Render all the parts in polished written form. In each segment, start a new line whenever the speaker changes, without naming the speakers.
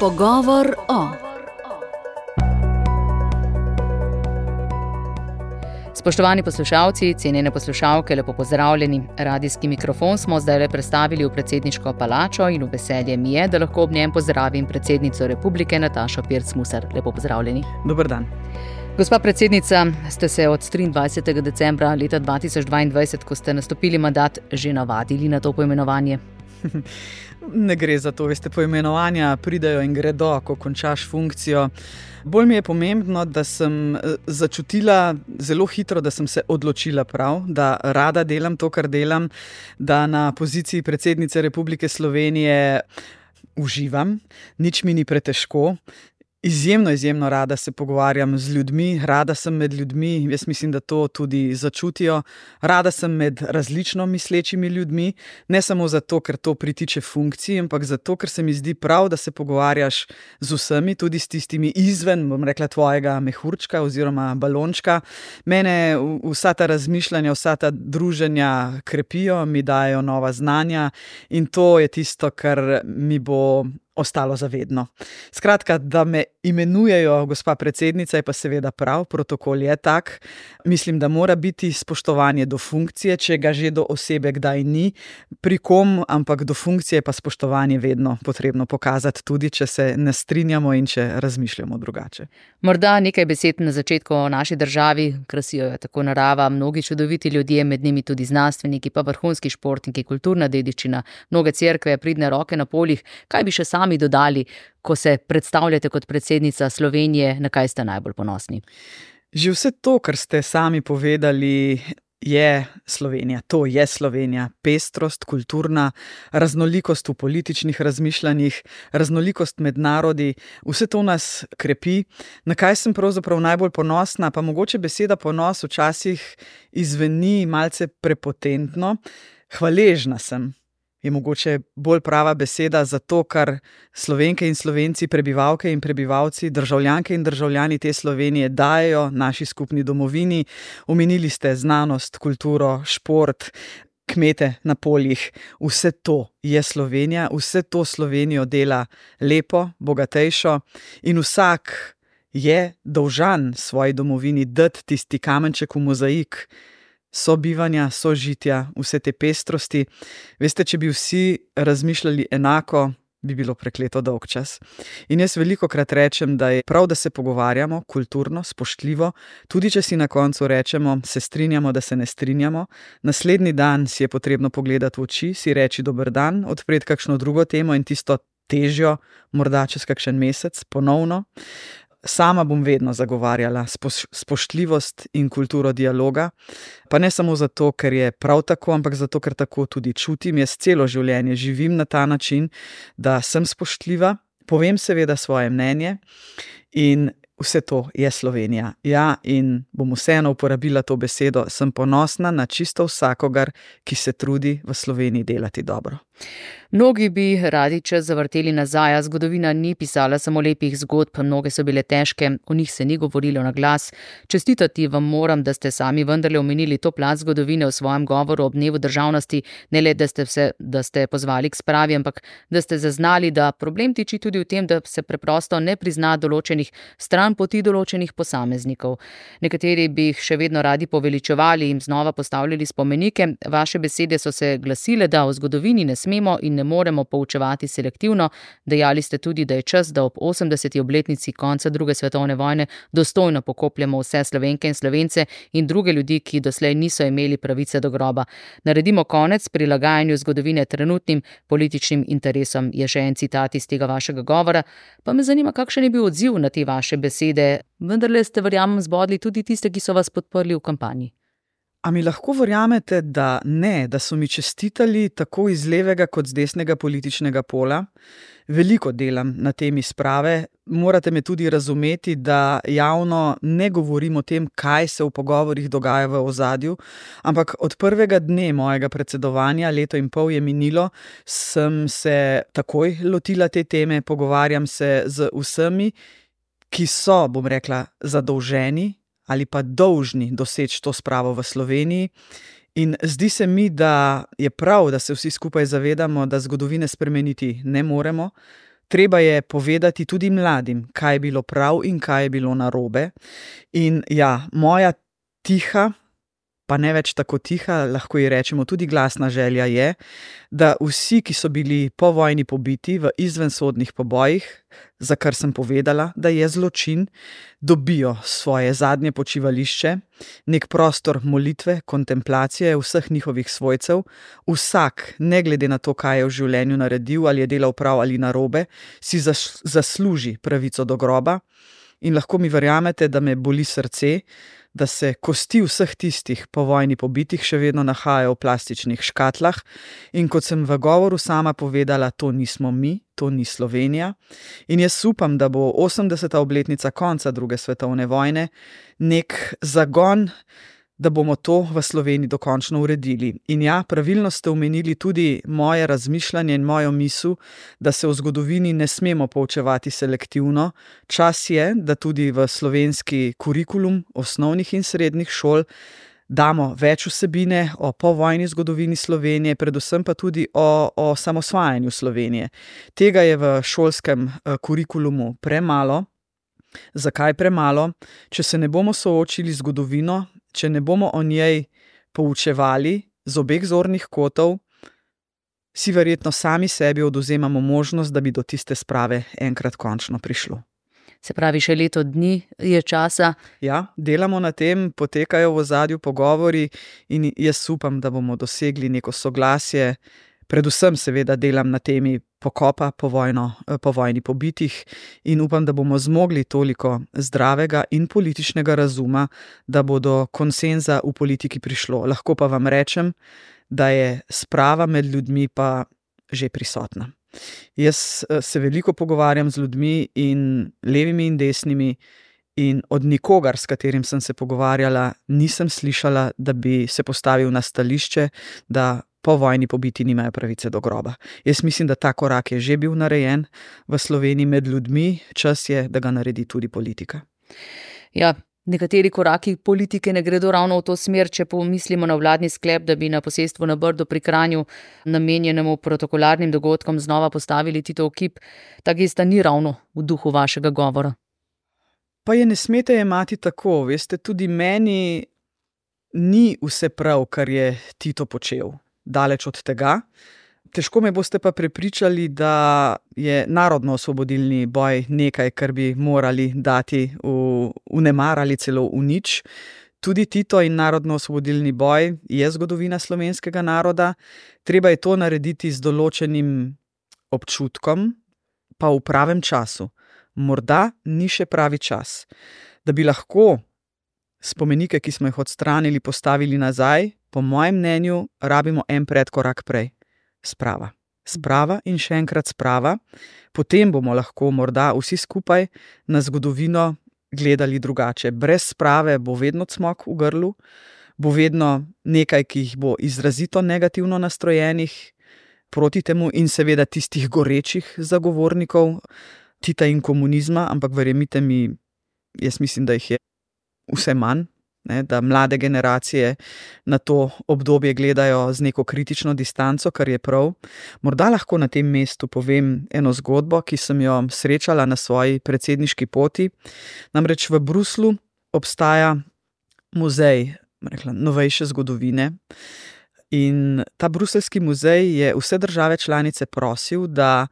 Pogovor o. Spoštovani poslušalci, cenjene poslušalke, lepo pozdravljeni. Radijski mikrofon smo zdaj prestavili v predsedniško palačo in v veselje mi je, da lahko ob njem pozdravim predsednico Republike Natašo Pirc Musar. Lepo pozdravljeni.
Dober dan.
Gospa predsednica, ste se od 23. decembra leta 2022, ko ste nastopili mandat, že navadili na to poimenovanje?
Ne gre za to, veste, poimenovanja pridejo in gredo, ko končaš funkcijo. Bolj mi je pomembno, da sem začutila zelo hitro, da sem se odločila prav, da rada delam to, kar delam, da na poziciji predsednice Republike Slovenije uživam, nič mi ni pretežko. Izjemno rada se pogovarjam z ljudmi, rada sem med ljudmi, jaz mislim, da to tudi začutijo. Rada sem med različno mislečimi ljudmi, ne samo zato, ker to pritiče funkciji, ampak zato, ker se mi zdi prav, da se pogovarjaš z vsemi, tudi s tistimi izven, bom rekla, tvojega mehurčka oziroma balončka. Mene vsa ta razmišljanja, vsa ta druženja krepijo, mi dajo nova znanja in to je tisto, kar mi bo ostalo zavedno. Skratka, da me imenujejo gospa predsednica, je pa seveda prav, protokol je tak. Mislim, da mora biti spoštovanje do funkcije, če ga že do osebe kdaj ni pri kom, ampak do funkcije pa spoštovanje vedno potrebno pokazati, tudi če se ne strinjamo in če razmišljamo drugače.
Morda nekaj besed na začetku o naši državi, krasijo jo tako narava, mnogi čudoviti ljudje, med njimi tudi znanstveniki, pa vrhunski športniki, kulturna dediščina, mnoge cerkve, pridne roke na poljih. Kaj bi še sami dodali, ko se predstavljate kot predsednica Slovenije, na kaj ste najbolj ponosni?
Že vse to, kar ste sami povedali, je Slovenija. To je Slovenija. Pestrost, kulturna, raznolikost v političnih razmišljanjih, raznolikost med narodi, vse to nas krepi. Na kaj sem pravzaprav najbolj ponosna, pa mogoče beseda ponos včasih izveni malce prepotentno. Hvaležna sem. Je mogoče bolj prava beseda za to, kar Slovenke in Slovenci, prebivalke in prebivalci, državljanke in državljani te Slovenije dajejo naši skupni domovini. Omenili ste znanost, kulturo, šport, kmete na poljih. Vse to je Slovenija, vse to Slovenijo dela lepo, bogatejšo in vsak je dolžan svoji domovini dati tisti kamenček v mozaik sobivanja, sožitja, vse te pestrosti. Veste, če bi vsi razmišljali enako, bi bilo prekleto dolg čas. In jaz velikokrat rečem, da je prav, da se pogovarjamo kulturno, spoštljivo, tudi če si na koncu rečemo, se strinjamo, da se ne strinjamo. Naslednji dan si je potrebno pogledati v oči, si reči dober dan, odpreti kakšno drugo temo in tisto težjo, morda čez kakšen mesec, ponovno. Sama bom vedno zagovarjala spoštljivost in kulturo dialoga, pa ne samo zato, ker je prav tako, ampak zato, ker tako tudi čutim. Jaz celo življenje živim na ta način, da sem spoštljiva, povem seveda svoje mnenje in vse to je Slovenija. Ja, in bom vseeno uporabila to besedo, sem ponosna na čisto vsakogar, ki se trudi v Sloveniji delati dobro.
Mnogi bi radi čas zavrteli nazaj, a zgodovina ni pisala samo lepih zgodb, mnoge so bile težke, o njih se ni govorilo na glas. Čestitati vam moram, da ste sami vendarle omenili to plat zgodovine v svojem govoru ob dnevu državnosti, ne le, da ste pozvali k spravi, ampak da ste zaznali, da problem tiči tudi v tem, da se preprosto ne prizna določenih stran poti določenih posameznikov. Nekateri bi jih še vedno radi poveličevali in znova postavljali spomenike. Vaše besede so se glasile, da o zgodovini ne smemo in ne moremo poučevati selektivno. Dejali ste tudi, da je čas, da ob 80. obletnici konca druge svetovne vojne dostojno pokopljamo vse Slovenke in Slovence in druge ljudi, ki doslej niso imeli pravice do groba. Naredimo konec prilagajanju zgodovine trenutnim političnim interesom, je še en citat iz tega vašega govora. Pa me zanima, kakšen je bil odziv na te vaše besede. Vendarle ste, verjamem, zbodli tudi tiste, ki so vas podprli v kampanji.
A mi lahko verjamete, da ne, da so mi čestitali tako iz levega kot z desnega političnega pola? Veliko delam na temi sprave. Morate me tudi razumeti, da javno ne govorim o tem, kaj se v pogovorih dogaja v ozadju, ampak od prvega dne mojega predsedovanja, 1,5 leta je minilo, sem se takoj lotila te teme, pogovarjam se z vsemi, ki so, bom rekla, zadolženi ali pa dolžni doseči to spravo v Sloveniji. In zdi se mi, da je prav, da se vsi skupaj zavedamo, da zgodovine spremeniti ne moremo. treba je povedati tudi mladim, kaj je bilo prav in kaj je bilo narobe. In ja, moja tiha, pa ne več tako tiha, lahko ji rečemo tudi glasna želja je, da vsi, ki so bili po vojni pobiti v izvensodnih pobojih, za kar sem povedala, da je zločin, dobijo svoje zadnje počivališče, nek prostor molitve, kontemplacije vseh njihovih svojcev. Vsak, ne glede na to, kaj je v življenju naredil, ali je delal prav ali narobe, si zasluži pravico do groba. In lahko mi verjamete, da me boli srce, da se kosti vseh tistih po vojni pobitih še vedno nahajajo v plastičnih škatlah. In kot sem v govoru sama povedala, to nismo mi, to ni Slovenija. In jaz upam, da bo 80. obletnica konca druge svetovne vojne nek zagon, da bomo to v Sloveniji dokončno uredili. In ja, pravilno ste omenili tudi moje razmišljanje in mojo misel, da se v zgodovini ne smemo poučevati selektivno. Čas je, da tudi v slovenski kurikulum osnovnih in srednjih šol damo več vsebine o povojni zgodovini Slovenije, predvsem pa tudi o samosvajanju Slovenije. Tega je v šolskem kurikulumu premalo. Zakaj premalo? Če se ne bomo soočili z zgodovino, če ne bomo o njej poučevali z obeh zornih kotov, si verjetno sami sebi odvzemamo možnost, da bi do tiste sprave enkrat končno prišlo.
Se pravi, še leto dni je časa.
Ja, delamo na tem, potekajo v ozadju pogovori in jaz upam, da bomo dosegli neko soglasje. Predvsem seveda delam na temi pokopa po vojni pobitih in upam, da bomo zmogli toliko zdravega in političnega razuma, da bo do konsenza v politiki prišlo. Lahko pa vam rečem, da je sprava med ljudmi pa že prisotna. Jaz se veliko pogovarjam z ljudmi in levimi in desnimi in od nikogar, s katerim sem se pogovarjala, nisem slišala, da bi se postavil na stališče, da po vojni pobiti nimajo pravice do groba. Jaz mislim, da ta korak je že bil narejen v Sloveniji med ljudmi, čas je, da ga naredi tudi politika.
Ja, nekateri koraki politike ne gredo ravno v to smer, če pomislimo na vladni sklep, da bi na posestvu na Brdu pri Kranju, namenjenemu protokolarnim dogodkom, znova postavili Titov kip. Ta gesta ni ravno v duhu vašega govora.
Pa je ne smete jemati tako, veste, tudi meni ni vse prav, kar je Tito počel. Daleč od tega. Težko me boste pa prepričali, da je narodno-osvobodilni boj nekaj, kar bi morali dati v nemar ali celo v nič. Tudi Tito in narodno-osvobodilni boj je zgodovina slovenskega naroda. Treba je to narediti z določenim občutkom, pa v pravem času. Morda ni še pravi čas. Da bi lahko spomenike, ki smo jih odstranili, postavili nazaj, po mojem mnenju, rabimo en predkorak prej. Sprava. Sprava in še enkrat sprava. Potem bomo lahko morda vsi skupaj na zgodovino gledali drugače. Brez sprave bo vedno cmok v grlu, bo vedno nekaj, ki jih bo izrazito negativno nastrojenih proti temu in seveda tistih gorečih zagovornikov Tita in komunizma, ampak verjemite mi, jaz mislim, da jih je vse manj. Da mlade generacije na to obdobje gledajo z neko kritično distanco, kar je prav. Morda lahko na tem mestu povem eno zgodbo, ki sem jo srečala na svoji predsedniški poti. Namreč v Bruslju obstaja muzej novejše zgodovine in ta bruseljski muzej je vse države članice prosil, da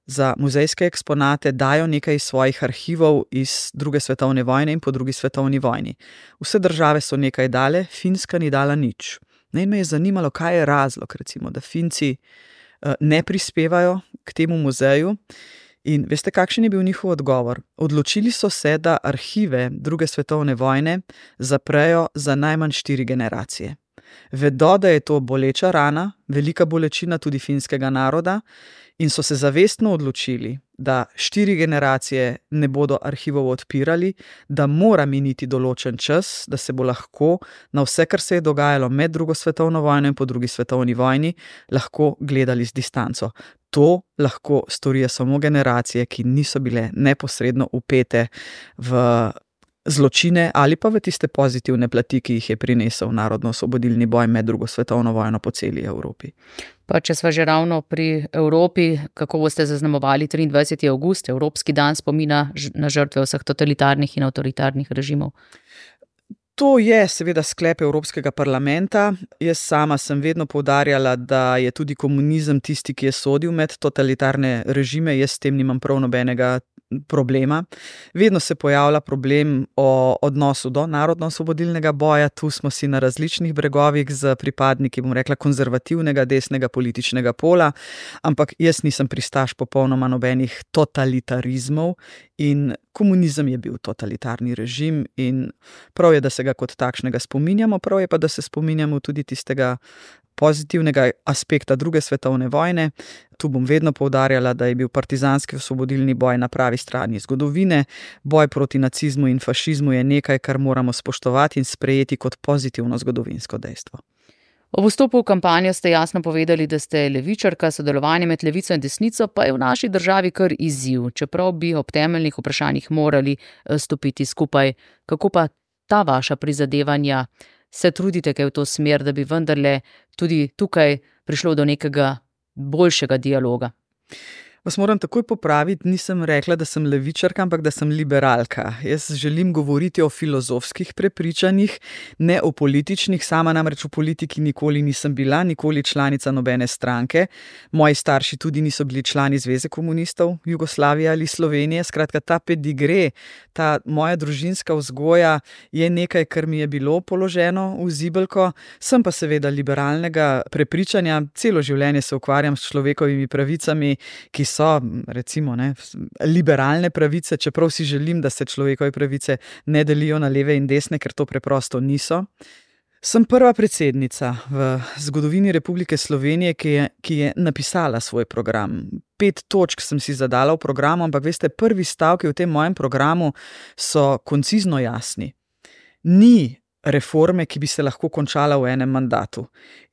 za muzejske eksponate dajo nekaj svojih arhivov iz druge svetovne vojne in po drugi svetovni vojni. Vse države so nekaj dale, Finska ni dala nič. In me je zanimalo, kaj je razlog, recimo, da Finci ne prispevajo k temu muzeju. In veste, kakšen je bil njihov odgovor? Odločili so se, da arhive druge svetovne vojne zaprejo za najmanj 4 generacije. Vedo, da je to boleča rana, velika bolečina tudi finskega naroda, in so se zavestno odločili, da 4 generacije ne bodo arhivov odpirali, da mora miniti določen čas, da se bo lahko na vse, kar se je dogajalo med drugo svetovno vojno in po drugi svetovni vojni, lahko gledali z distanco. To lahko storijo samo generacije, ki niso bile neposredno vpete v zločine ali pa v tiste pozitivne plati, ki jih je prinesel narodno-osvobodilni boj med drugo svetovno vojno po celi Evropi.
Pa če sva že ravno pri Evropi, kako boste zaznamovali 23. avgust, Evropski dan spomina na žrtve vseh totalitarnih in avtoritarnih režimov?
To je seveda sklep Evropskega parlamenta. Jaz sama sem vedno poudarjala, da je tudi komunizem tisti, ki je sodil med totalitarne režime. Jaz s tem nimam prav nobenega problema. Vedno se pojavlja problem o odnosu do narodno-osvobodilnega boja. Tu smo si na različnih bregovih z pripadniki, bom rekla, konzervativnega desnega političnega pola, ampak jaz nisem pristaš popolnoma nobenih totalitarizmov in komunizem je bil totalitarni režim in prav je, da se ga kot takšnega spominjamo, prav je pa, da se spominjamo tudi tistega pozitivnega aspekta druge svetovne vojne. Tu bom vedno poudarjala, da je bil partizanski osvobodilni boj na pravi strani zgodovine. Boj proti nacizmu in fašizmu je nekaj, kar moramo spoštovati in sprejeti kot pozitivno zgodovinsko dejstvo.
Ob vstopu v kampanjo ste jasno povedali, da ste levičarka, sodelovanje med levico in desnico pa je v naši državi kar izziv, čeprav bi ob temeljnih vprašanjih morali stopiti skupaj. Kako pa ta vaša prizadevanja? Se trudite kaj v to smer, da bi vendarle tudi tukaj prišlo do nekega boljšega dialoga?
Vas moram takoj popraviti, nisem rekla, da sem levičarka, ampak da sem liberalka. Jaz želim govoriti o filozofskih prepričanjih, ne o političnih. Sama namreč v politiki nikoli nisem bila, nikoli članica nobene stranke. Moji starši tudi niso bili člani Zveze komunistov Jugoslavije ali Slovenije. Skratka, ta pedigre, ta moja družinska vzgoja je nekaj, kar mi je bilo položeno v zibelko. Sem pa seveda liberalnega prepričanja. Celo življenje se ukvarjam s človekovimi pravicami, ki so, recimo, liberalne pravice, čeprav si želim, da se človekove pravice ne delijo na leve in desne, ker to preprosto niso. Sem prva predsednica v zgodovini Republike Slovenije, ki je napisala svoj program. 5 točk sem si zadala v programu, ampak veste, prvi stavki v tem mojem programu so koncizno jasni. Ni reforme, ki bi se lahko končala v enem mandatu.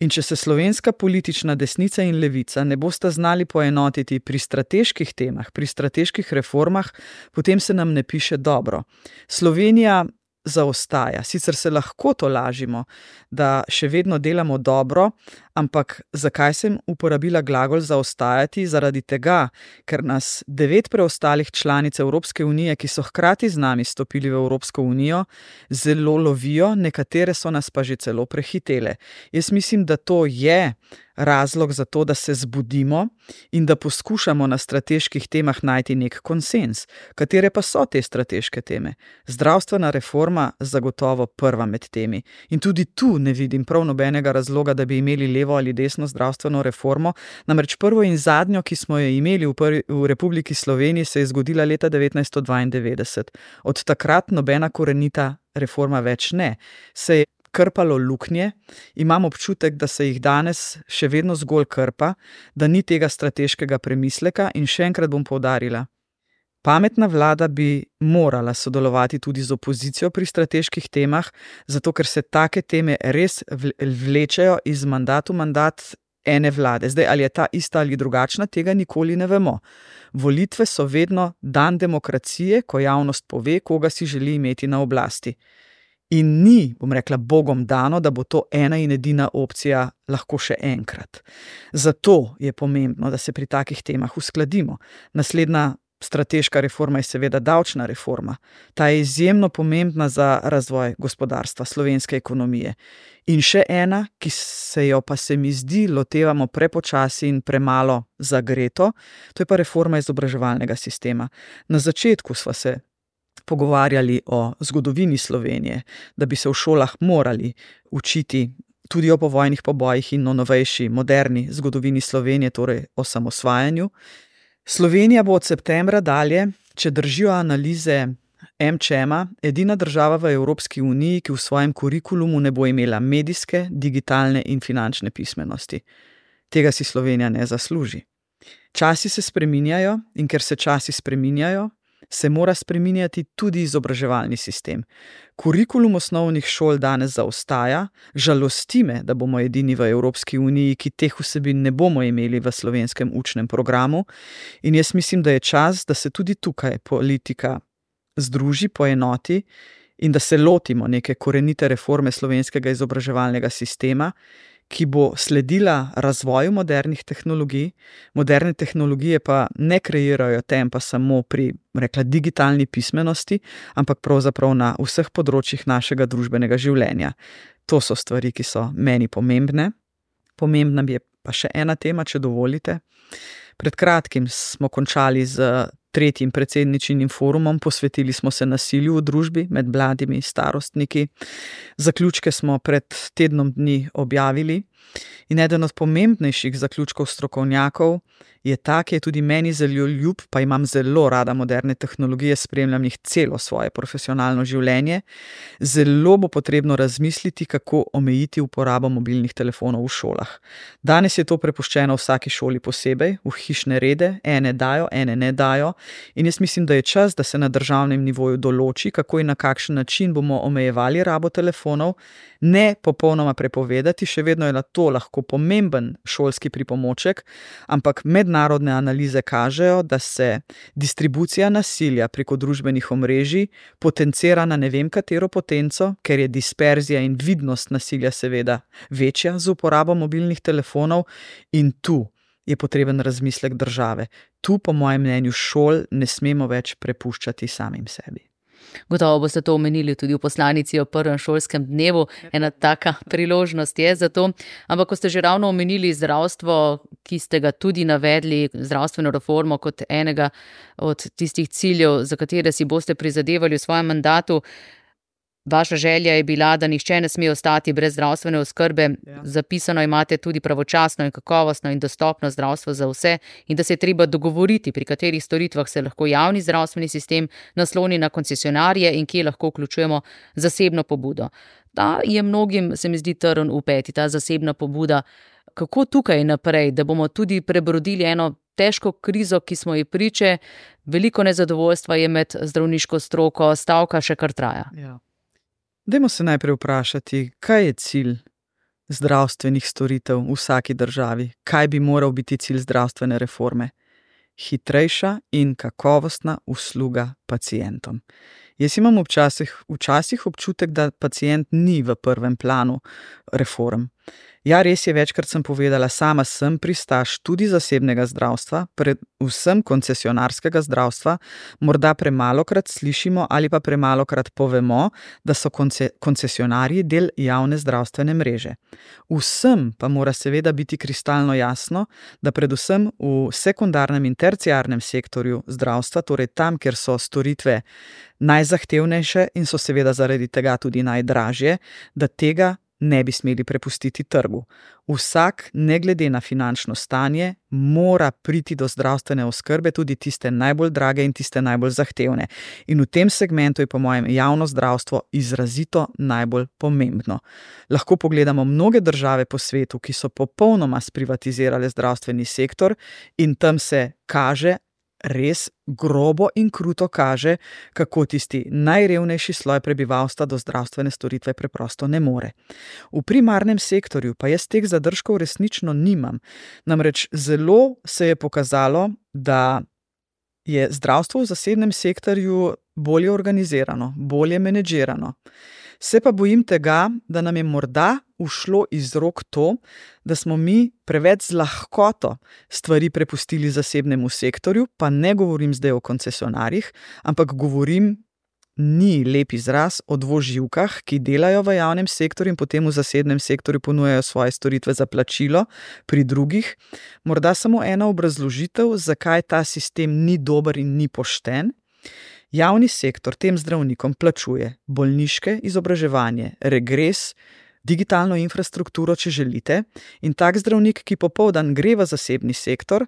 In če se slovenska politična desnica in levica ne bosta znali poenotiti pri strateških temah, pri strateških reformah, potem se nam ne piše dobro. Slovenija zaostaja. Sicer se lahko tolažimo, da še vedno delamo dobro, ampak zakaj sem uporabila glagol zaostajati? Zaradi tega, ker nas 9 preostalih članic Evropske unije, ki so hkrati z nami stopili v Evropsko unijo, zelo lovijo, nekatere so nas pa že celo prehitele. Jaz mislim, da to je razlog za to, da se zbudimo in da poskušamo na strateških temah najti nek konsens. Katere pa so te strateške teme? Zdravstvena reforma zagotovo prva med temi. In tudi tu ne vidim prav nobenega razloga, da bi imeli levo ali desno zdravstveno reformo. Namreč prvo in zadnjo, ki smo jo imeli v Republiki Sloveniji, se je zgodila leta 1992. Od takrat nobena korenita reforma več ne. Se je krpalo luknje, imam občutek, da se jih danes še vedno zgolj krpa, da ni tega strateškega premisleka in še enkrat bom poudarila. Pametna vlada bi morala sodelovati tudi z opozicijo pri strateških temah, zato ker se take teme res vlečejo iz mandata v mandat ene vlade. Zdaj, ali je ta ista ali drugačna, tega nikoli ne vemo. Volitve so vedno dan demokracije, ko javnost pove, koga si želi imeti na oblasti. In ni, bom rekla, Bogom dano, da bo to ena in edina opcija lahko še enkrat. Zato je pomembno, da se pri takih temah uskladimo. Naslednja strateška reforma je seveda davčna reforma. Ta je izjemno pomembna za razvoj gospodarstva, slovenske ekonomije. In še ena, ki se jo pa se mi zdi lotevamo prepočasi in premalo zagreto, to je pa reforma izobraževalnega sistema. Na začetku sva se pogovarjali o zgodovini Slovenije, da bi se v šolah morali učiti tudi o povojnih pobojih in o novejši, moderni zgodovini Slovenije, torej o samosvajanju. Slovenija bo od septembra dalje, če držijo analize MČM-a, edina država v Evropski uniji, ki v svojem kurikulumu ne bo imela medijske, digitalne in finančne pismenosti. Tega si Slovenija ne zasluži. Časi se spreminjajo in ker se časi spreminjajo, se mora spreminjati tudi izobraževalni sistem. Kurikulum osnovnih šol danes zaostaja, žalosti me, da bomo edini v Evropski uniji, ki teh vsebin ne bomo imeli v slovenskem učnem programu in jaz mislim, da je čas, da se tudi tukaj politika združi, poenoti in da se lotimo neke korenite reforme slovenskega izobraževalnega sistema, ki bo sledila razvoju modernih tehnologij. Moderne tehnologije pa ne kreirajo tempa samo pri, digitalni pismenosti, ampak pravzaprav na vseh področjih našega družbenega življenja. To so stvari, ki so meni pomembne. Pomembna je pa še ena tema, če dovolite. Pred kratkim smo končali z 3. predsedničinim forumom, posvetili smo se nasilju v družbi med mladimi starostniki. Zaključke smo pred tednom dni objavili in eden od pomembnejših zaključkov strokovnjakov je ta, ki je tudi meni zelo ljub, pa imam zelo rada moderne tehnologije, spremljam jih celo svoje profesionalno življenje. Zelo bo potrebno razmisliti, kako omejiti uporabo mobilnih telefonov v šolah. Danes je to prepuščeno vsaki šoli posebej, v hišne rede, ene dajo, ene ne dajo, in jaz mislim, da je čas, da se na državnem nivoju določi, kako in na kakšen način bomo omejevali rabo telefonov, ne popolnoma prepovedati, še vedno je to lahko pomemben šolski pripomoček, ampak mednarodne analize kažejo, da se distribucija nasilja preko družbenih omrežij potencira na ne vem katero potenco, ker je disperzija in vidnost nasilja seveda večja z uporabo mobilnih telefonov, in tu je potreben razmislek države. Tu, po mojem mnenju, šol ne smemo več prepuščati samim sebi.
Gotovo boste to omenili tudi v poslanici o prvem šolskem dnevu. Ena taka priložnost je za to. Ampak ko ste že ravno omenili zdravstvo, ki ste ga tudi navedli, zdravstveno reformo kot enega od tistih ciljev, za katere si boste prizadevali v svojem mandatu, vaša želja je bila, da nihče ne sme ostati brez zdravstvene oskrbe. Ja. Zapisano imate tudi pravočasno in kakovostno in dostopno zdravstvo za vse in da se je treba dogovoriti, pri katerih storitvah se lahko javni zdravstveni sistem nasloni na koncesionarje in kje lahko vključujemo zasebno pobudo. Ta je mnogim, se mi zdi, trn v peti, ta zasebna pobuda. Kako tukaj naprej, da bomo tudi prebrodili eno težko krizo, ki smo ji priče, veliko nezadovoljstva je med zdravniško stroko, stavka še kar traja.
Ja. Dajmo se najprej vprašati, kaj je cilj zdravstvenih storitev v vsaki državi? Kaj bi moral biti cilj zdravstvene reforme? Hitrejša in kakovostna usluga pacientom. Jaz imam včasih občutek, da pacient ni v prvem planu reform. Ja, res je, večkrat sem povedala, sama sem pristaš tudi zasebnega zdravstva, predvsem koncesionarskega zdravstva. Morda premalokrat slišimo ali pa premalokrat povemo, da so koncesionarji del javne zdravstvene mreže. Vsem pa mora seveda biti kristalno jasno, da predvsem v sekundarnem in terciarnem sektorju zdravstva, torej tam, kjer so storitve najzahtevnejše in so seveda zaradi tega tudi najdražje, da tega ne bi smeli prepustiti trgu. Vsak, ne glede na finančno stanje, mora priti do zdravstvene oskrbe, tudi tiste najbolj drage in tiste najbolj zahtevne. In v tem segmentu je po mojem javno zdravstvo izrazito najbolj pomembno. Lahko pogledamo mnoge države po svetu, ki so popolnoma sprivatizirale zdravstveni sektor, in tam se kaže, res grobo in kruto kaže, kako tisti najrevnejši sloj prebivalstva do zdravstvene storitve preprosto ne more. V primarnem sektorju pa jaz teh zadržkov resnično nimam. Namreč zelo se je pokazalo, da je zdravstvo v zasebnem sektorju bolje organizirano, bolje menedžirano. Se pa bojim tega, da nam je morda ušlo iz rok to, da smo mi preveč z lahkoto stvari prepustili zasebnemu sektorju, pa ne govorim zdaj o koncesionarjih, ampak govorim, ni lep izraz, o dvoživkah, ki delajo v javnem sektorju in potem v zasebnem sektorju ponujajo svoje storitve za plačilo pri drugih. Morda samo ena obrazložitev, zakaj ta sistem ni dober in ni pošten. Javni sektor tem zdravnikom plačuje bolniške izobraževanje, regres, digitalno infrastrukturo, če želite, in tak zdravnik, ki popoldan gre v zasebni sektor,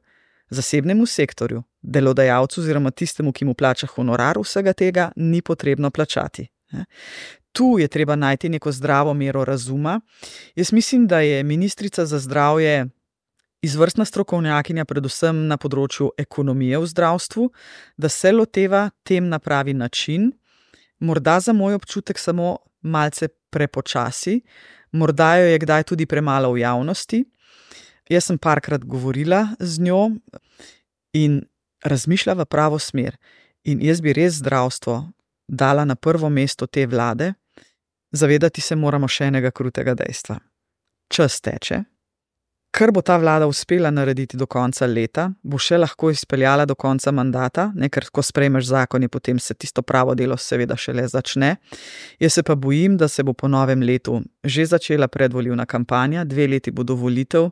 zasebnemu sektorju, delodajalcu oziroma tistemu, ki mu plača honorar, vsega tega ni potrebno plačati. Tu je treba najti neko zdravo mero razuma. Jaz mislim, da je ministrica za zdravje izvrstna strokovnjakinja predvsem na področju ekonomije v zdravstvu, da se loteva tem na pravi način, morda za moj občutek samo malce prepočasi, morda jo je kdaj tudi premalo v javnosti. Jaz sem parkrat govorila z njo in razmišlja v pravo smer. In jaz bi res zdravstvo dala na prvo mesto te vlade, zavedati se moramo še enega krutega dejstva. Čas teče. Kar bo ta vlada uspela narediti do konca leta, bo še lahko izpeljala do konca mandata, ker ko sprejmeš zakon, potem se tisto pravo delo seveda šele začne. Jaz se pa bojim, da se bo po novem letu že začela predvolilna kampanja, 2 leti bodo volitev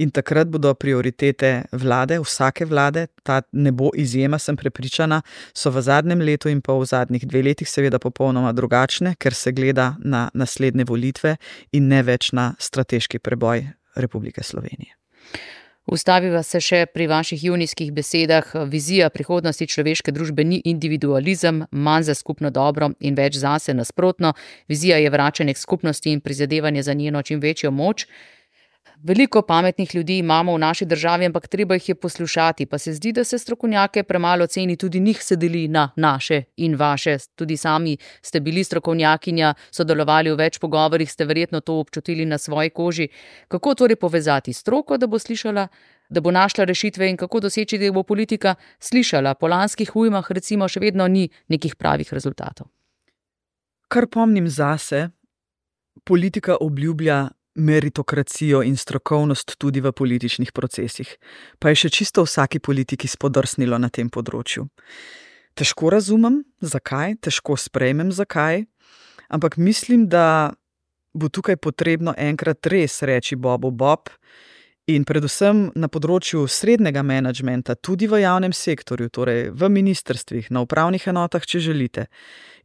in takrat bodo prioritete vlade, vsake vlade, ta ne bo izjema, sem prepričana, so v zadnjem letu in pol, v zadnjih 2 letih seveda popolnoma drugačne, ker se gleda na naslednje volitve in ne več na strateški preboj Republike Slovenije.
Ustaviva se še pri vaših junijskih besedah. Vizija prihodnosti človeške družbe ni individualizem, manj za skupno dobro in več zase, nasprotno. Vizija je vračanje k skupnosti in prizadevanje za njeno čim večjo moč. Veliko pametnih ljudi imamo v naši državi, ampak treba jih je poslušati, pa se zdi, da se strokovnjake premalo ceni, tudi njih se deli na naše in vaše. Tudi sami ste bili strokovnjakinja, sodelovali v več pogovorih, ste verjetno to občutili na svoji koži. Kako torej povezati stroko, da bo slišala, da bo našla rešitve in kako doseči, da bo politika slišala? Po lanskih ujmah recimo še vedno ni nekih pravih rezultatov.
Kar pomnim zase, politika obljublja meritokracijo in strokovnost tudi v političnih procesih, pa je še čisto vsaki politiki spodrsnilo na tem področju. Težko razumem, zakaj, težko sprejmem, zakaj, ampak mislim, da bo tukaj potrebno enkrat res reči Bobu Bob in predvsem na področju srednjega menedžmenta, tudi v javnem sektorju, torej v ministrstvih, na upravnih enotah, če želite,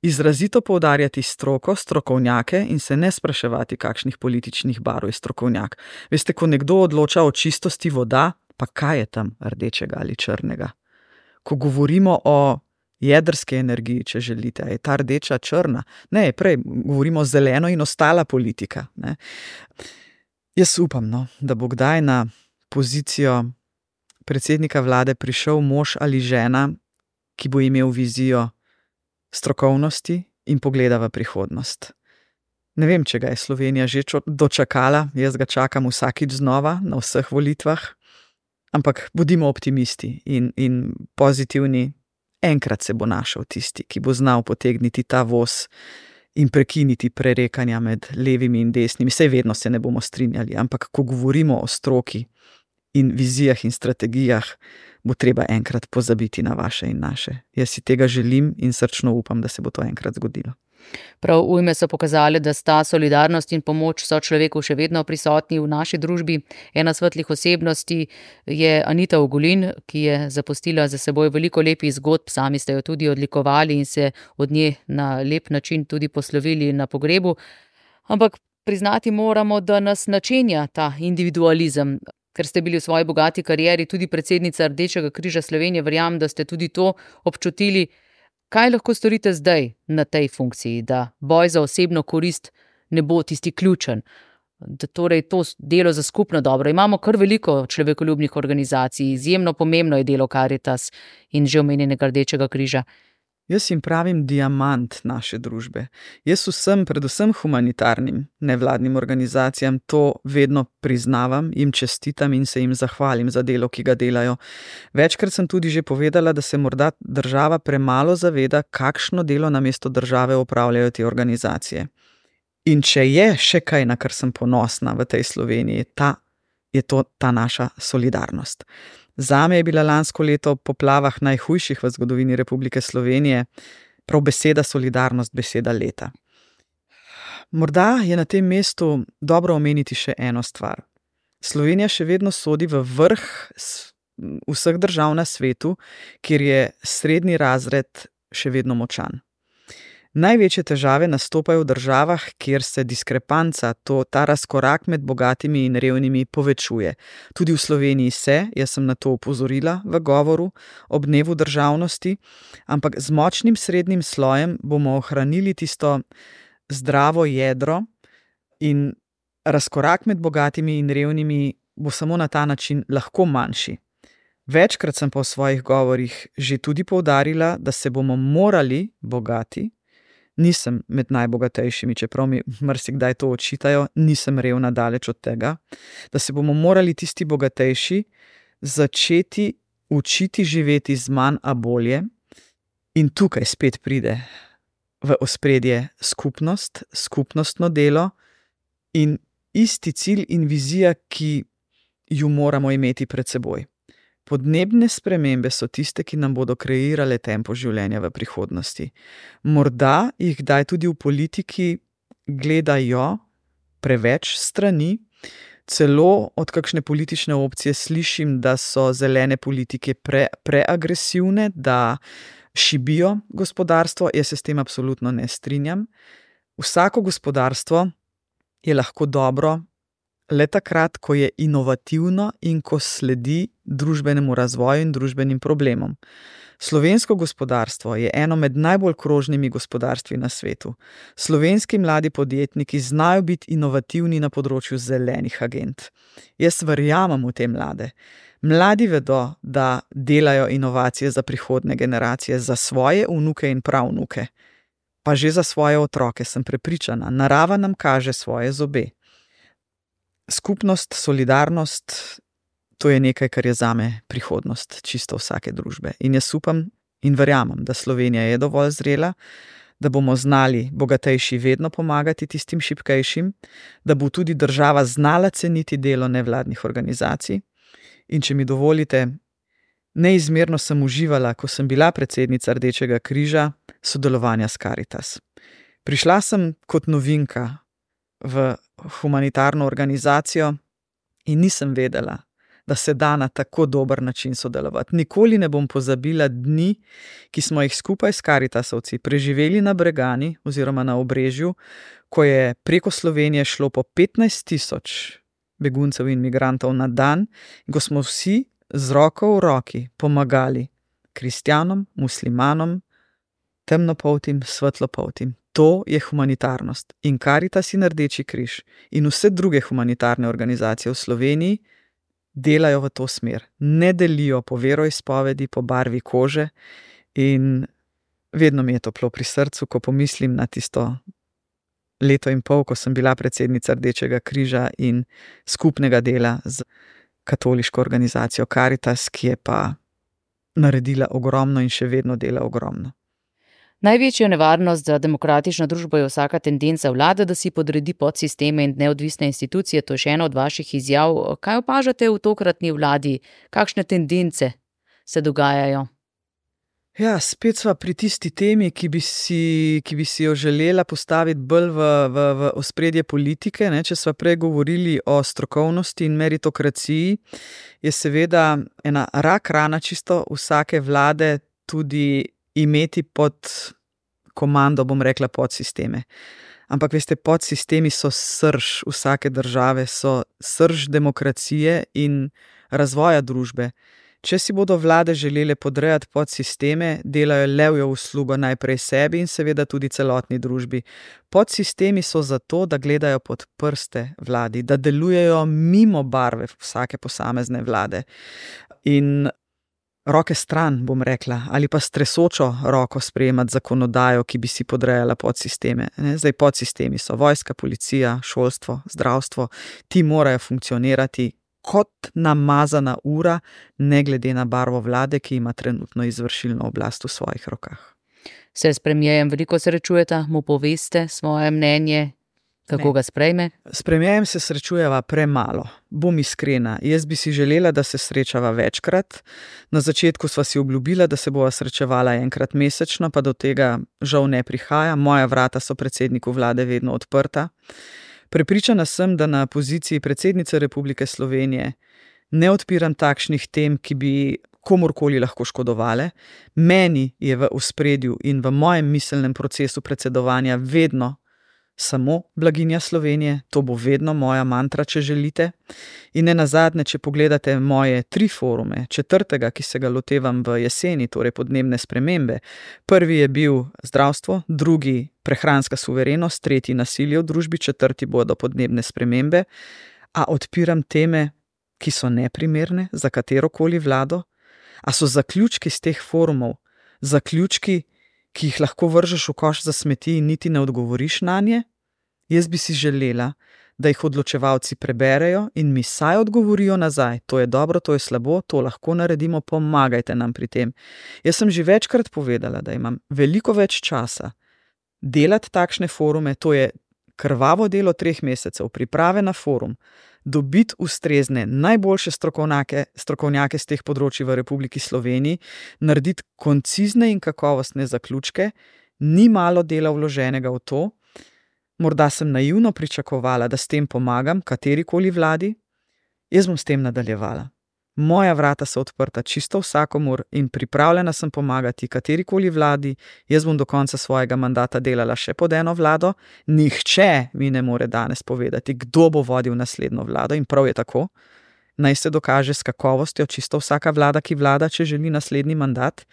izrazito poudarjati stroko, strokovnjake in se ne spraševati, kakšnih političnih barv je strokovnjak. Veste, ko nekdo odloča o čistosti voda, pa kaj je tam rdečega ali črnega? Ko govorimo o jedrski energiji, če želite, je ta rdeča črna? Ne, prej govorimo zeleno in ostala politika. Ne? Jaz upam, da bo kdaj na pozicijo predsednika vlade prišel mož ali žena, ki bo imel vizijo strokovnosti in pogleda v prihodnost. Ne vem, če ga je Slovenija že dočakala, jaz ga čakam vsakič znova na vseh volitvah, ampak bodimo optimisti in pozitivni. Enkrat se bo našel tisti, ki bo znal potegniti ta voz in prekiniti prerekanja med levimi in desnimi. Saj vedno se ne bomo strinjali, ampak ko govorimo o stroki in vizijah in strategijah, bo treba enkrat pozabiti na vaše in naše. Jaz si tega želim in srčno upam, da se bo to enkrat zgodilo.
Prav ujme so pokazali, da sta solidarnost in pomoč sočloveku še vedno prisotni v naši družbi. Ena svetlih osebnosti je Anita Ogulin, ki je zapustila za seboj veliko lepih zgodb, sami ste jo tudi odlikovali in se od nje na lep način tudi poslovili na pogrebu. Ampak priznati moramo, da nas načenja ta individualizem. Ker ste bili v svoji bogati karieri tudi predsednica Rdečega križa Slovenije, verjamem, da ste tudi to občutili. Kaj lahko storite zdaj na tej funkciji, da boj za osebno korist ne bo tisti ključen? Da torej to delo za skupno dobro. Imamo kar veliko človekoljubnih organizacij, izjemno pomembno je delo Karitas in že omenjenega Rdečega križa.
Jaz jim pravim diamant naše družbe. Jaz vsem, predvsem humanitarnim nevladnim organizacijam, to vedno priznavam, jim čestitam in se jim zahvalim za delo, ki ga delajo. Večkrat sem tudi že povedala, da se morda država premalo zaveda, kakšno delo namesto države opravljajo te organizacije. In če je še kaj, na kar sem ponosna v tej Sloveniji, je to ta naša solidarnost. Zame je bila lansko leto po poplavah najhujših v zgodovini Republike Slovenije prav beseda solidarnost, beseda leta. Morda je na tem mestu dobro omeniti še eno stvar. Slovenija še vedno sodi v vrh vseh držav na svetu, kjer je srednji razred še vedno močan. Največje težave nastopajo v državah, kjer se diskrepanca, ta razkorak med bogatimi in revnimi povečuje. Tudi v Sloveniji se, jaz sem na to opozorila v govoru ob dnevu državnosti, ampak z močnim srednjim slojem bomo ohranili tisto zdravo jedro in razkorak med bogatimi in revnimi bo samo na ta način lahko manjši. Večkrat sem pa v svojih govorih že tudi poudarila, da se bomo morali bogati. Nisem med najbogatejšimi, čeprav mi marsikdaj to očitajo, nisem revna, daleč od tega, da se bomo morali tisti bogatejši začeti učiti živeti z manj, a bolje. In tukaj spet pride v ospredje skupnost, skupnostno delo in isti cilj in vizija, ki ju moramo imeti pred seboj. Podnebne spremembe so tiste, ki nam bodo kreirale tempo življenja v prihodnosti. Morda jih kdaj tudi v politiki gledajo preveč strani, celo od kakšne politične opcije slišim, da so zelene politike preagresivne, da šibijo gospodarstvo. Jaz se s tem absolutno ne strinjam. Vsako gospodarstvo je lahko dobro le takrat, ko je inovativno in ko sledi družbenemu razvoju in družbenim problemom. Slovensko gospodarstvo je eno med najbolj krožnimi gospodarstvi na svetu. Slovenski mladi podjetniki znajo biti inovativni na področju zelenih agend. Jaz verjamem v te mlade. Mladi vedo, da delajo inovacije za prihodnje generacije, za svoje vnuke in pravnuke. Pa že za svoje otroke, sem prepričana. Narava nam kaže svoje zobe. Skupnost, solidarnost, to je nekaj, kar je zame prihodnost čisto vsake družbe. In jaz upam in verjamem, da Slovenija je dovolj zrela, da bomo znali bogatejši vedno pomagati tistim šibkejšim, da bo tudi država znala ceniti delo nevladnih organizacij. In če mi dovolite, neizmerno sem uživala, ko sem bila predsednica Rdečega križa, sodelovanja s Karitas. Prišla sem kot novinka v humanitarno organizacijo in nisem vedela, da se da na tako dober način sodelovati. Nikoli ne bom pozabila dni, ki smo jih skupaj s Karitasovci preživeli na Bregani oziroma na Obrežju, ko je preko Slovenije šlo po 15.000 beguncev in migrantov na dan, in ko smo vsi z roko v roki pomagali kristjanom, muslimanom, temnopoltim, svetlopoltim. To je humanitarnost. In Karitas in Rdeči križ in vse druge humanitarne organizacije v Sloveniji delajo v to smer. Ne delijo po veroizpovedi, po barvi kože in vedno mi je toplo pri srcu, ko pomislim na tisto leto in pol, ko sem bila predsednica Rdečega križa in skupnega dela z katoliško organizacijo Karitas, ki je pa naredila ogromno in še vedno dela ogromno.
Največja nevarnost za demokratično družbo je vsaka tendenca vlade, da si podredi podsisteme in neodvisne institucije. To je še ena od vaših izjav. Kaj opažate v tokratni vladi? Kakšne tendence se dogajajo?
Ja, spet sva pri tisti temi, ki bi si jo želela postaviti bolj v ospredje politike. Če sva prej govorili o strokovnosti in meritokraciji, je seveda ena rak rana čisto vsake vlade tudi imeti pod komando, bom rekla, podsisteme. Ampak veste, podsistemi so srž vsake države, so srž demokracije in razvoja družbe. Če si bodo vlade želele podrejati podsisteme, delajo levjo uslugo najprej sebi in seveda tudi celotni družbi. Podsistemi so zato, da gledajo pod prste vladi, da delujejo mimo barve vsake posamezne vlade. In roke stran, bom rekla, ali pa s tresočo roko sprejemati zakonodajo, ki bi si podrejala podsisteme. Zdaj podsistemi so vojska, policija, šolstvo, zdravstvo. Ti morajo funkcionirati kot namazana ura, ne glede na barvo vlade, ki ima trenutno izvršilno oblast v svojih rokah.
Se s premierjem veliko srečujeta, mu poveste svoje mnenje? Kako ga sprejme?
S premierjem se srečujeva premalo. Bom iskrena, jaz bi si želela, da se srečava večkrat. Na začetku sva si obljubila, da se bova srečevala enkrat mesečno, pa do tega žal ne prihaja. Moja vrata so predsedniku vlade vedno odprta. Prepričana sem, da na poziciji predsednice Republike Slovenije ne odpiram takšnih tem, ki bi komurkoli lahko škodovale. Meni je v ospredju in v mojem miselnem procesu predsedovanja vedno samo blaginja Slovenije, to bo vedno moja mantra, če želite. In nenazadnje, če pogledate moje 3 forume, 4., ki se ga lotevam v jeseni, torej podnebne spremembe. Prvi je bil zdravstvo, 2. prehranska suverenost, 3. nasilje v družbi, 4. bodo podnebne spremembe. A odpiram teme, ki so neprimerne za katerokoli vlado? A so zaključki z teh forumov, zaključki, ki jih lahko vržeš v koš za smeti in niti ne odgovoriš nanje? Jaz bi si želela, da jih odločevalci preberejo in mi saj odgovorijo nazaj. To je dobro, to je slabo, to lahko naredimo, pomagajte nam pri tem. Jaz sem že večkrat povedala, da imam veliko več časa delati takšne forume, to je krvavo delo 3 mesecev, priprave na forum, dobiti ustrezne, najboljše strokovnjake z teh področij v Republiki Sloveniji, narediti koncizne in kakovostne zaključke, ni malo dela vloženega v to. Morda sem naivno pričakovala, da s tem pomagam katerikoli vladi, jaz bom s tem nadaljevala. Moja vrata so odprta čisto vsakomur in pripravljena sem pomagati katerikoli vladi, jaz bom do konca svojega mandata delala še pod eno vlado, nihče mi ne more danes povedati, kdo bo vodil naslednjo vlado in prav je tako. Naj se dokaže s kakovostjo čisto vsaka vlada, ki vlada, če želi naslednji mandat.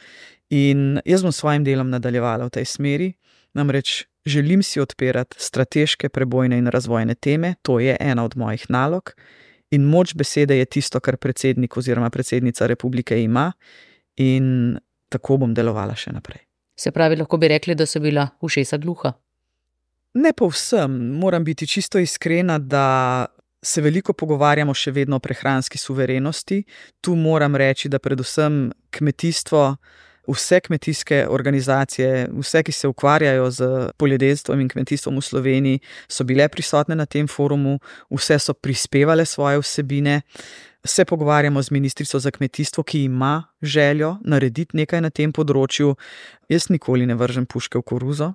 In jaz bom s svojim delom nadaljevala v tej smeri, namreč želim si odpirati strateške, prebojne in razvojne teme, to je ena od mojih nalog. In moč besede je tisto, kar predsednik oziroma predsednica republike ima, in tako bom delovala še naprej.
Se pravi, lahko bi rekli, da so bila ušesa gluha?
Ne povsem, moram biti čisto iskrena, da se veliko pogovarjamo še vedno o prehranski suverenosti. Tu moram reči, da predvsem kmetijstvo, vse kmetijske organizacije, vse, ki se ukvarjajo z poljedelstvom in kmetijstvom v Sloveniji, so bile prisotne na tem forumu, vse so prispevale svoje vsebine. Se pogovarjamo z ministrico za kmetijstvo, ki ima željo narediti nekaj na tem področju. Jaz nikoli ne vržem puške v koruzo,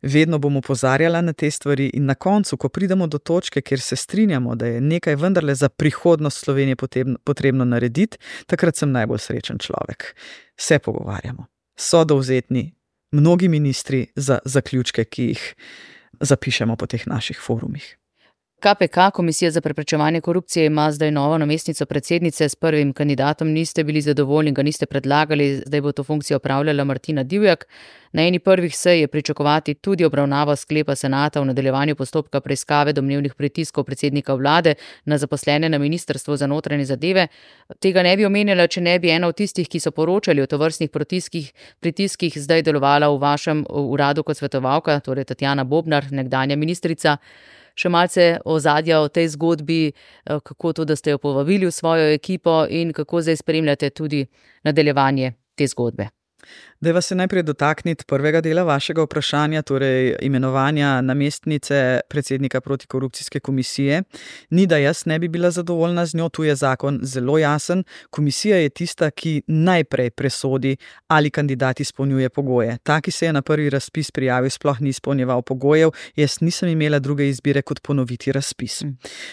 vedno bom opozarjala na te stvari in na koncu, ko pridemo do točke, kjer se strinjamo, da je nekaj vendarle za prihodnost Slovenije potrebno narediti, takrat sem najbolj srečen človek. Se pogovarjamo. So dovzetni mnogi ministri za zaključke, ki jih zapišemo po teh naših forumih.
KPK, Komisija za preprečevanje korupcije, ima zdaj novo namestnico predsednice, s prvim kandidatom niste bili zadovoljni, ga niste predlagali, zdaj bo to funkcijo opravljala Martina Divjak. Na eni prvih sej je pričakovati tudi obravnavo sklepa senata v nadaljevanju postopka preiskave domnevnih pritiskov predsednika vlade na zaposlene na Ministrstvu za notranje zadeve. Tega ne bi omenjala, če ne bi ena od tistih, ki so poročali o tovrstnih pritiskih, zdaj delovala v vašem uradu kot svetovalka, torej Tatjana Bobnar, nekdanja ministrica. Še malce ozadja o tej zgodbi, kako to, da ste jo povabili v svojo ekipo in kako zdaj spremljate tudi nadaljevanje te zgodbe.
Dajva se najprej dotakniti prvega dela vašega vprašanja, torej imenovanja namestnice predsednika protikorupcijske komisije. Ni, da jaz ne bi bila zadovoljna z njo, tu je zakon zelo jasen. Komisija je tista, ki najprej presodi, ali kandidat izpolnjuje pogoje. Ta, ki se je na prvi razpis prijavil, sploh ni izpolnjeval pogojev, jaz nisem imela druge izbire kot ponoviti razpis.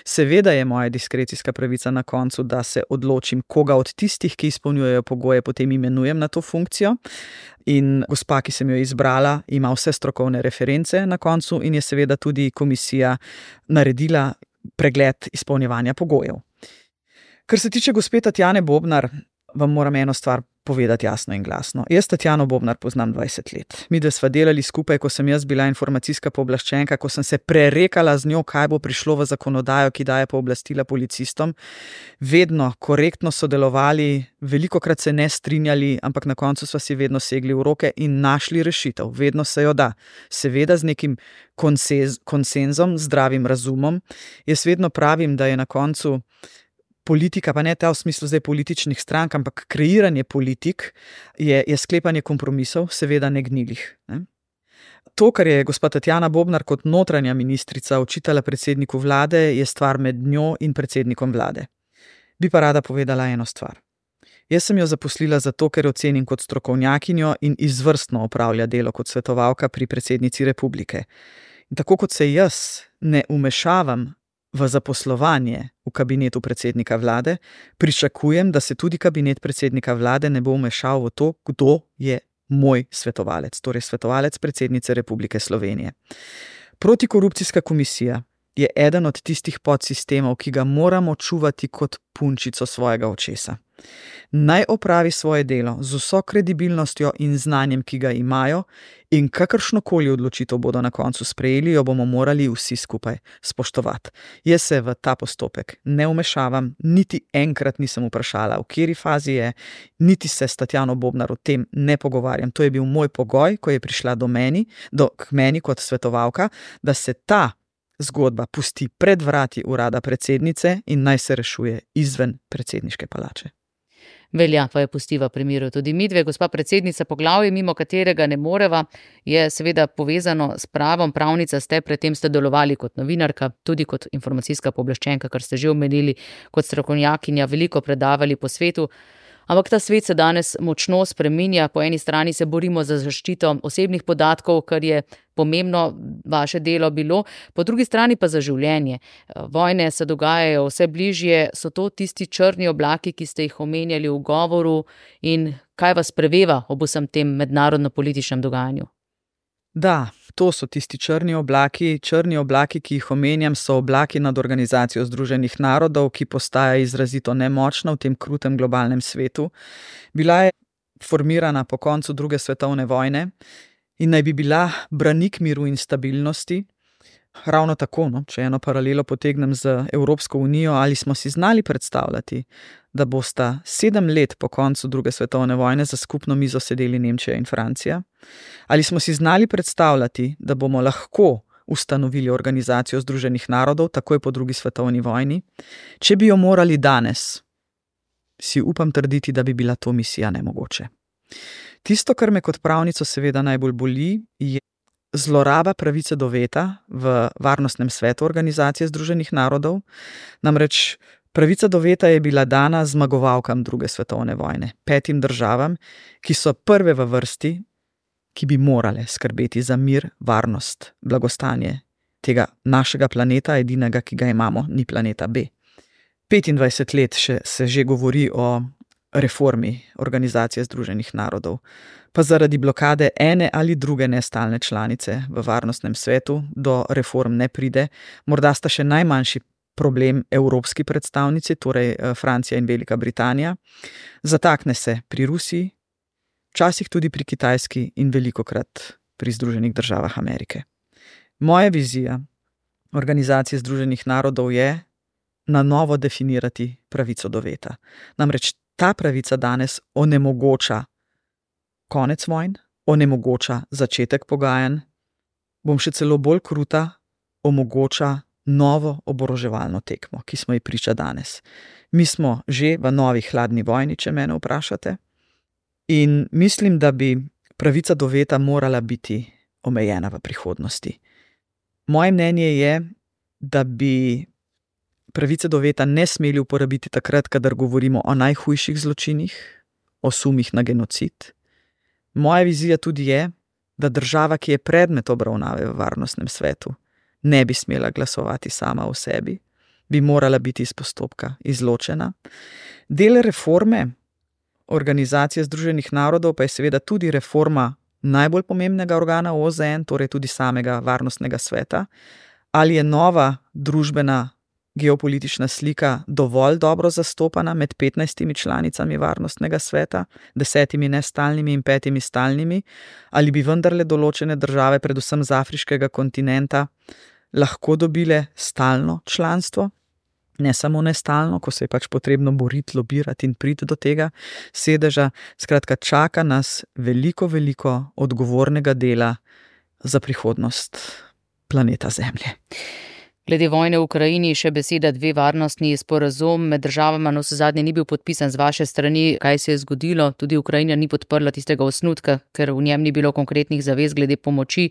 Seveda je moja diskrecijska pravica na koncu, da se odločim, koga od tistih, ki izpolnjujejo pogoje, potem imenujem na to funkcijo. In gospa, ki sem jo izbrala, ima vse strokovne reference na koncu in je seveda tudi komisija naredila pregled izpolnjevanja pogojev. Kar se tiče gospe Tatjane Bobnar, vam moram eno stvar povedati jasno in glasno. Jaz Tatjano Bobnar poznam 20 let. Midve sva delali skupaj, ko sem jaz bila informacijska pooblaščenka, ko sem se prerekala z njo, kaj bo prišlo v zakonodajo, ki daje pooblastila policistom. Vedno korektno sodelovali, velikokrat se ne strinjali, ampak na koncu sva si vedno segli v roke in našli rešitev. Vedno se jo da. Seveda z nekim konsenzom, zdravim razumom. Jaz vedno pravim, da je na koncu politika, pa ne ta v smislu zdaj političnih strank, ampak kreiranje politik je sklepanje kompromisov, seveda ne gnilih. Ne? To, kar je gospa Tatjana Bobnar kot notranja ministrica očitala predsedniku vlade, je stvar med njo in predsednikom vlade. Bi pa rada povedala eno stvar. Jaz sem jo zaposlila zato, ker ocenim kot strokovnjakinjo in izvrstno opravlja delo kot svetovalka pri predsednici republike. In tako kot se jaz ne vmešavam v zaposlovanje v kabinetu predsednika vlade, pričakujem, da se tudi kabinet predsednika vlade ne bo vmešal v to, kdo je moj svetovalec, torej svetovalec predsednice Republike Slovenije. Protikorupcijska komisija je eden od tistih podsistemov, ki ga moramo čuvati kot punčico svojega očesa. Naj opravi svoje delo z vso kredibilnostjo in znanjem, ki ga imajo, in kakršnokoli odločitev bodo na koncu sprejeli, jo bomo morali vsi skupaj spoštovati. Jaz se v ta postopek ne vmešavam, niti enkrat nisem vprašala, v kateri fazi je, niti se s Tatjano Bobnar o tem ne pogovarjam. To je bil moj pogoj, ko je prišla k meni kot svetovalka, da se ta zgodba pusti pred vrati urada predsednice in naj se rešuje izven predsedniške palače.
Velja pa je pustiva pri miru tudi midve. Gospa predsednica, poglavje, mimo katerega ne moreva, je seveda povezano s pravom. Pravnica ste, predtem ste delovali kot novinarka, tudi kot informacijska pooblaščenka, kar ste že omenili, kot strokovnjakinja, veliko predavali po svetu. Ampak ta svet se danes močno spreminja. Po eni strani se borimo za zaščito osebnih podatkov, kar je pomembno vaše delo bilo, po drugi strani pa za življenje. Vojne se dogajajo vse bližje, so to tisti črni oblaki, ki ste jih omenjali v govoru, in kaj vas preveva ob vsem tem mednarodno-političnem dogajanju?
Da, to so tisti črni oblaki. Črni oblaki, ki jih omenjam, so oblaki nad Organizacijo Združenih narodov, ki postaja izrazito nemočna v tem krutem globalnem svetu. Bila je formirana po koncu druge svetovne vojne in naj bi bila branik miru in stabilnosti. Ravno tako, če eno paralelo potegnem z Evropsko unijo, ali smo si znali predstavljati, da bosta 7 let po koncu druge svetovne vojne za skupno mizo sedeli Nemčija in Francija? Ali smo si znali predstavljati, da bomo lahko ustanovili Organizacijo Združenih narodov takoj po drugi svetovni vojni? Če bi jo morali danes, si upam trditi, da bi bila to misija nemogoče. Tisto, kar me kot pravnico seveda najbolj boli, je zloraba pravice do veta v Varnostnem svetu Organizacije Združenih narodov. Namreč pravica do veta je bila dana zmagovalkam druge svetovne vojne, 5 državam, ki so prve v vrsti, ki bi morale skrbeti za mir, varnost, blagostanje tega našega planeta, edinega, ki ga imamo, ni planeta B. 25 let se že govori o reformi Organizacije Združenih narodov, pa zaradi blokade ene ali druge nestalne članice v Varnostnem svetu do reform ne pride. Morda sta še najmanjši problem evropski predstavnici, torej Francija in Velika Britanija. Zatakne se pri Rusiji, včasih tudi pri Kitajski in velikokrat pri Združenih državah Amerike. Moja vizija Organizacije Združenih narodov je na novo definirati pravico do veta. Namreč ta pravica danes onemogoča konec vojn, onemogoča začetek pogajanj, bom še celo bolj kruta, omogoča novo oboroževalno tekmo, ki smo ji priča danes. Mi smo že v novi hladni vojni, če mene vprašate, in mislim, da bi pravica do veta morala biti omejena v prihodnosti. Moje mnenje je, da bi pravice do veta ne smeli uporabiti takrat, kadar govorimo o najhujših zločinih, o sumih na genocid. Moja vizija tudi je, da država, ki je predmet obravnave v Varnostnem svetu, ne bi smela glasovati sama o sebi, bi morala biti iz postopka izločena. Del reforme Organizacije Združenih narodov pa je seveda tudi reforma najbolj pomembnega organa OZN, torej tudi samega Varnostnega sveta. Ali je nova družbena geopolitična slika dovolj dobro zastopana med 15 članicami Varnostnega sveta, 10 nestalnimi in 5 stalnimi, ali bi vendarle določene države, predvsem z afriškega kontinenta, lahko dobile stalno članstvo, ne samo nestalno, ko se je pač potrebno boriti, lobirati in priti do tega sedeža. Skratka, čaka nas veliko odgovornega dela za prihodnost planeta Zemlje.
Glede vojne v Ukrajini še beseda, 2 varnostni sporazum med državama navsezadnje ni bil podpisan z vaše strani. Kaj se je zgodilo? Tudi Ukrajina ni podprla tistega osnutka, ker v njem ni bilo konkretnih zavez glede pomoči.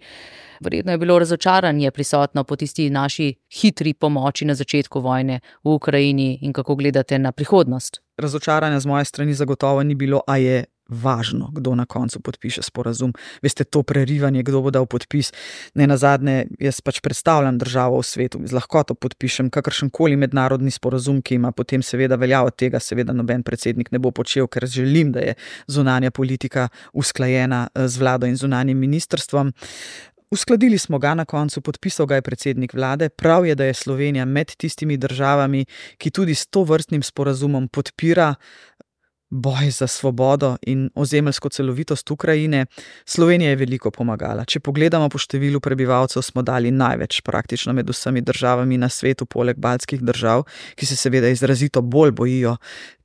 Verjetno je bilo razočaranje prisotno po tisti naši hitri pomoči na začetku vojne v Ukrajini. In kako gledate na prihodnost?
Razočaranja z moje strani zagotovo ni bilo, a je važno, kdo na koncu podpiše sporazum. Veste, to prerivanje, kdo bo dal podpis, ne nazadnje, jaz pač predstavljam državo v svetu, z lahkoto podpišem kakršenkoli mednarodni sporazum, ki ima potem seveda veljavo. Tega seveda noben predsednik ne bo počel, ker želim, da je zunanja politika usklajena z vlado in zunanjim ministrstvom. Uskladili smo ga na koncu, podpisal ga je predsednik vlade. Prav je, da je Slovenija med tistimi državami, ki tudi s tovrstnim sporazumom podpira boj za svobodo in ozemeljsko celovitost Ukrajine. Slovenija je veliko pomagala. Če pogledamo po številu prebivalcev, smo dali največ praktično med vsemi državami na svetu, poleg baltskih držav, ki se seveda izrazito bolj bojijo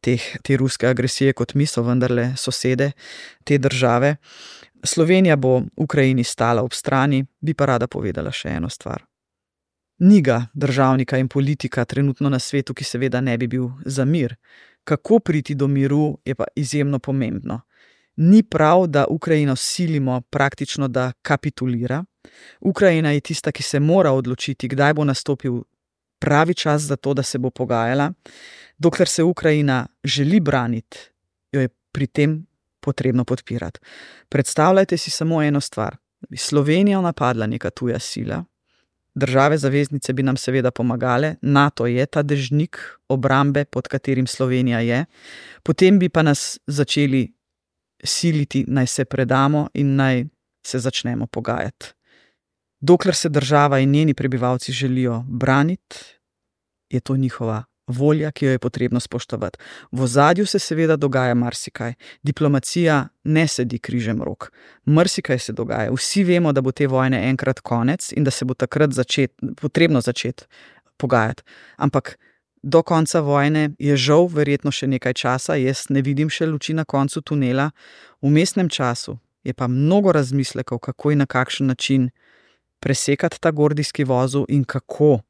te ruske agresije kot mi, so vendarle sosede te države. Slovenija bo Ukrajini stala ob strani, bi pa rada povedala še eno stvar. Ni ga državnika in politika trenutno na svetu, ki seveda ne bi bil za mir. kako priti do miru, je pa izjemno pomembno. Ni prav, da Ukrajino silimo praktično, da kapitulira. Ukrajina je tista, ki se mora odločiti, kdaj bo nastopil pravi čas za to, da se bo pogajala. Dokler se Ukrajina želi braniti, jo je pri tem potrebno podpirati. Predstavljajte si samo eno stvar. Da bi Slovenijo napadla neka tuja sila, države zaveznice bi nam seveda pomagale, NATO je ta dežnik obrambe, pod katerim Slovenija je, potem bi pa nas začeli siliti, naj se predamo in naj se začnemo pogajati. Dokler se država in njeni prebivalci želijo braniti, je to njihova volja, ki jo je potrebno spoštovati. V ozadju se seveda dogaja marsikaj. Diplomacija ne sedi križem rok. Marsikaj se dogaja. Vsi vemo, da bo te vojne enkrat konec in da se bo takrat potrebno začeti pogajati. Ampak do konca vojne je žal verjetno še nekaj časa, jaz ne vidim še luči na koncu tunela. V vmesnem času je pa mnogo razmislekov, kako in na kakšen način presekati ta gordijski vozel in kako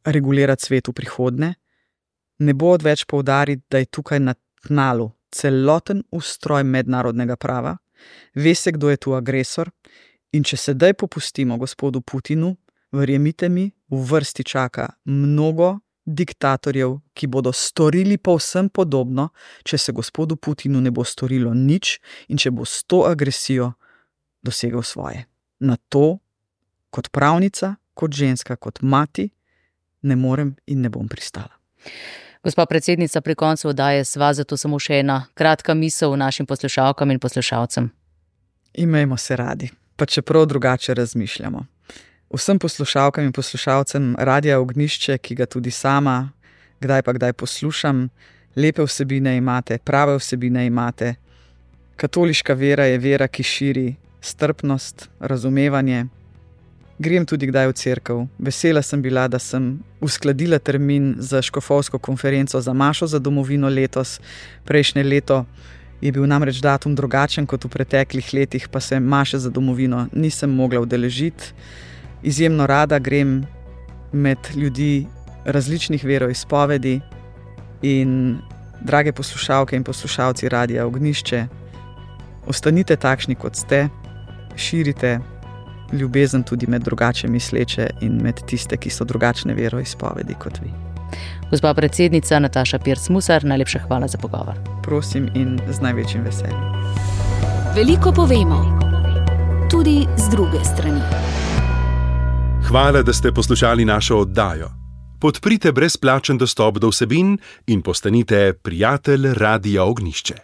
regulirati svet v prihodnje. Ne bo odveč poudariti, da je tukaj na tnalu celoten ustroj mednarodnega prava, ve se, kdo je tu agresor, in če sedaj popustimo gospodu Putinu, verjemite mi, v vrsti čaka mnogo diktatorjev, ki bodo storili povsem podobno, če se gospodu Putinu ne bo storilo nič in če bo s to agresijo dosegel svoje. Na to, kot pravnica, kot ženska, kot mati, ne morem in ne bom pristala.
Gospa predsednica, pri koncu oddaje sva, zato samo še ena kratka misel našim poslušalkam in poslušalcem.
Imejmo se radi, pa čeprav drugače razmišljamo. Vsem poslušalkam in poslušalcem Radia Ognjišče, ki ga tudi sama kdaj pa kdaj poslušam, lepe vsebine imate, prave vsebine imate. Katoliška vera je vera, ki širi strpnost, razumevanje. Grem tudi kdaj v cerkev. Vesela sem bila, da sem uskladila termin za škofovsko konferenco za Mašo za domovino letos. Prejšnje leto je bil namreč datum drugačen kot v preteklih letih, pa se Maše za domovino nisem mogla udeležiti. Izjemno rada grem med ljudi različnih veroizpovedi in drage poslušalke in poslušalci Radia Ognjišče, ostanite takšni, kot ste, širite ljubezen tudi med drugače misleče in med tiste, ki so drugačne veroizpovedi kot vi.
Gospa predsednica Nataša Pirc Musar, najlepša hvala za pogovor.
Prosim in z največjim veseljem.
Veliko povemo, tudi z druge strani.
Hvala, da ste poslušali našo oddajo. Podprite brezplačen dostop do vsebin in postanite prijatelj Radia Ognjišče.